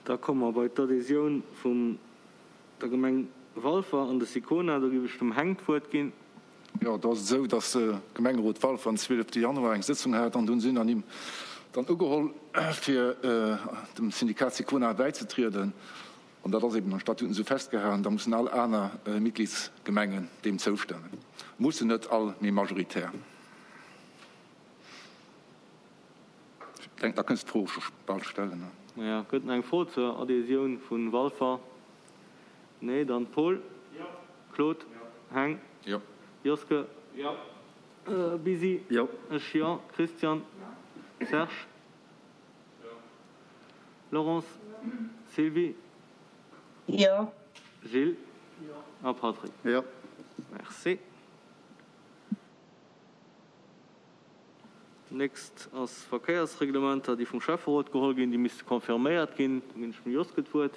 Da komme mer bei d'Adhésioun vum der Gemeng Walfer an de Sicona. Do géif ech dem Heng d'Wuert ginn. Jo, do ass et esou, dass de Gemengerot Walfer den 12 Januar eng Sëtzung hat an do hunn se unanime dann ugeholl, fir dem Syndikat Sicona bäizetrieden. An dat ass eben an Statuten esou festgehalen, da mussen all aner Mitgliedsgemengen deem zoustëmmen. Mussen net all, mee majoritär. Ech denken, da kënns de d'Fro scho bal stellen. Jo, gëtt nach eng Fro zur Adhésioun vu Walfer? Nee, dann Paul? Jo. Claude? Jo. Heng? Jo. Joske? Jo. Bisi? Jo. Ech jo. Christian? Jo. Serge? Jo. Laurence? Jo. Sylvie? Jo. Gilles? Jo. A Patrick? Jo. Merci. Nächst ass Verkéiersreglementer, déi vum Schäfferot geholl ginn. Déi misste confirméiert ginn. Do ginn ech dem Joske d'Wuert.